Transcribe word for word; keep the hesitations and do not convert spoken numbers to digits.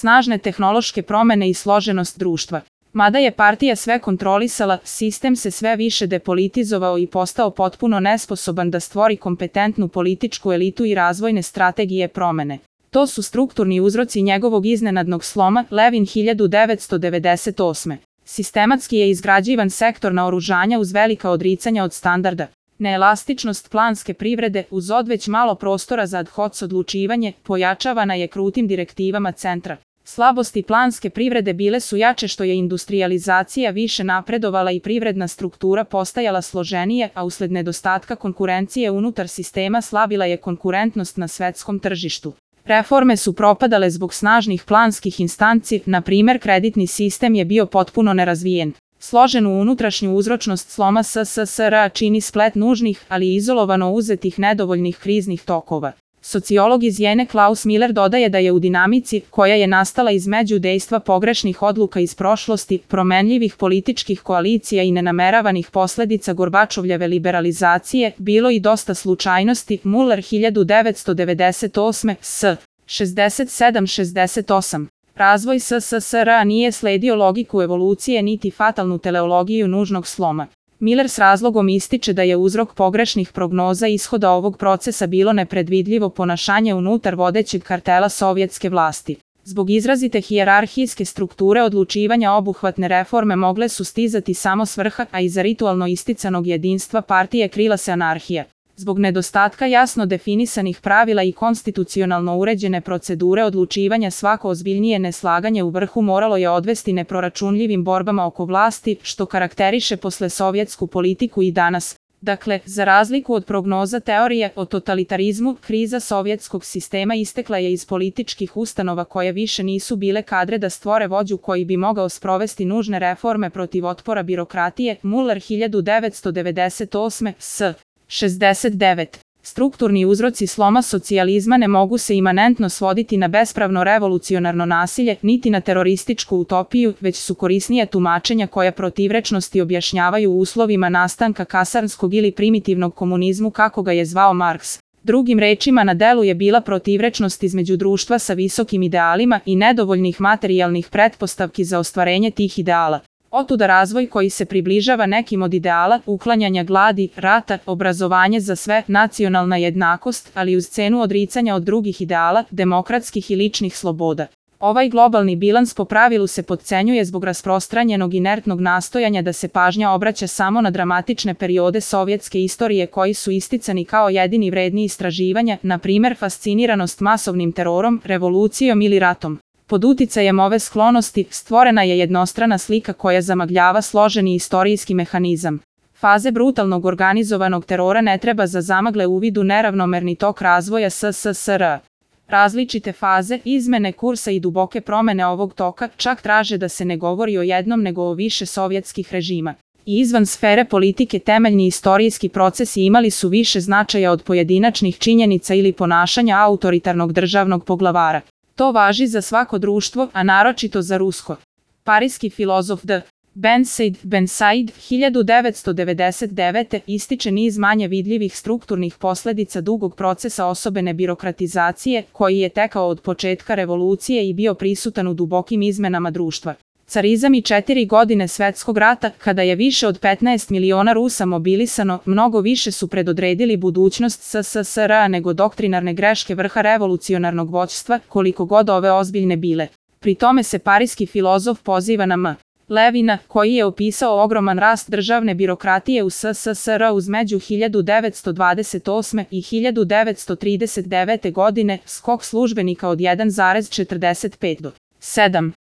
snažne tehnološke promene i složenost društva. Mada je partija sve kontrolisala, sistem se sve više depolitizovao i postao potpuno nesposoban da stvori kompetentnu političku elitu i razvojne strategije promene. To su strukturni uzroci njegovog iznenadnog sloma, Levin hiljadu devetsto devedeset osme. Sistematski je izgrađivan sektor naoružanja uz velika odricanja od standarda. Neelastičnost planske privrede uz odveć malo prostora za ad hoc odlučivanje pojačavana je krutim direktivama centra. Slabosti planske privrede bile su jače što je industrijalizacija više napredovala i privredna struktura postajala složenija, a usled nedostatka konkurencije unutar sistema slabila je konkurentnost na svetskom tržištu. Reforme su propadale zbog snažnih planskih instanci, na primer kreditni sistem je bio potpuno nerazvijen. Složenu unutrašnju uzročnost sloma S S S R čini splet nužnih, ali izolovano uzetih nedovoljnih kriznih tokova. Sociolog iz Jene Klaus Miller dodaje da je u dinamici, koja je nastala između dejstva pogrešnih odluka iz prošlosti, promenljivih političkih koalicija i nenameravanih posledica Gorbačovljeve liberalizacije, bilo i dosta slučajnosti. Muller hiljadu devetsto devedeset osme. S. šezdeset sedam šezdeset osam. Razvoj S S S R nije sledio logiku evolucije niti fatalnu teleologiju nužnog sloma. Miller s razlogom ističe da je uzrok pogrešnih prognoza ishoda ovog procesa bilo nepredvidljivo ponašanje unutar vodećeg kartela sovjetske vlasti. Zbog izrazite hijerarhijske strukture odlučivanja obuhvatne reforme mogle su stizati samo s vrha, a iza ritualno isticanog jedinstva partije krila se anarhija. Zbog nedostatka jasno definisanih pravila i konstitucionalno uređene procedure odlučivanja svako ozbiljnije neslaganje u vrhu moralo je odvesti neproračunljivim borbama oko vlasti, što karakteriše poslesovjetsku politiku i danas. Dakle, za razliku od prognoza teorije o totalitarizmu, kriza sovjetskog sistema istekla je iz političkih ustanova koje više nisu bile kadre da stvore vođu koji bi mogao sprovesti nužne reforme protiv otpora birokratije. Muller hiljadu devetsto devedeset osme. S. šezdeset devet. Strukturni uzroci sloma socijalizma ne mogu se imanentno svoditi na bespravno revolucionarno nasilje, niti na terorističku utopiju, već su korisnija tumačenja koja protivrečnosti objašnjavaju uslovima nastanka kasarnskog ili primitivnog komunizmu kako ga je zvao Marks. Drugim rečima, na delu je bila protivrečnost između društva sa visokim idealima i nedovoljnih materijalnih pretpostavki za ostvarenje tih ideala. Otuda razvoj koji se približava nekim od ideala, uklanjanja gladi, rata, obrazovanje za sve, nacionalna jednakost, ali uz cenu odricanja od drugih ideala, demokratskih i ličnih sloboda. Ovaj globalni bilans po pravilu se potcenjuje zbog rasprostranjenog inertnog nastojanja da se pažnja obraća samo na dramatične periode sovjetske istorije koji su isticani kao jedini vredni istraživanja, na primer fasciniranost masovnim terorom, revolucijom ili ratom. Pod uticajem ove sklonosti stvorena je jednostrana slika koja zamagljava složeni istorijski mehanizam. Faze brutalnog organizovanog terora ne treba za zamagle uvidu neravnomerni tok razvoja S S S R. Različite faze, izmene kursa i duboke promene ovog toka čak traže da se ne govori o jednom nego o više sovjetskih režima. I izvan sfere politike temeljni istorijski procesi imali su više značaja od pojedinačnih činjenica ili ponašanja autoritarnog državnog poglavara. To važi za svako društvo, a naročito za rusko. Parijski filozof D. Bensaid Bensaid hiljadu devetsto devedeset devete. ističe niz manje vidljivih strukturnih posledica dugog procesa osobene birokratizacije, koji je tekao od početka revolucije i bio prisutan u dubokim izmenama društva. Carizam i četiri godine svetskog rata, kada je više od petnaest miliona Rusa mobilisano, mnogo više su predodredili budućnost S S S R nego doktrinarne greške vrha revolucionarnog vođstva, koliko god ove ozbiljne bile. Pri tome se parijski filozof poziva na M. Levina, koji je opisao ogroman rast državne birokratije u S S S R uzmeđu hiljadu devetsto dvadeset osme. i hiljadu devetsto trideset devete. godine, skok službenika od jedan zarez četrdeset pet do sedam.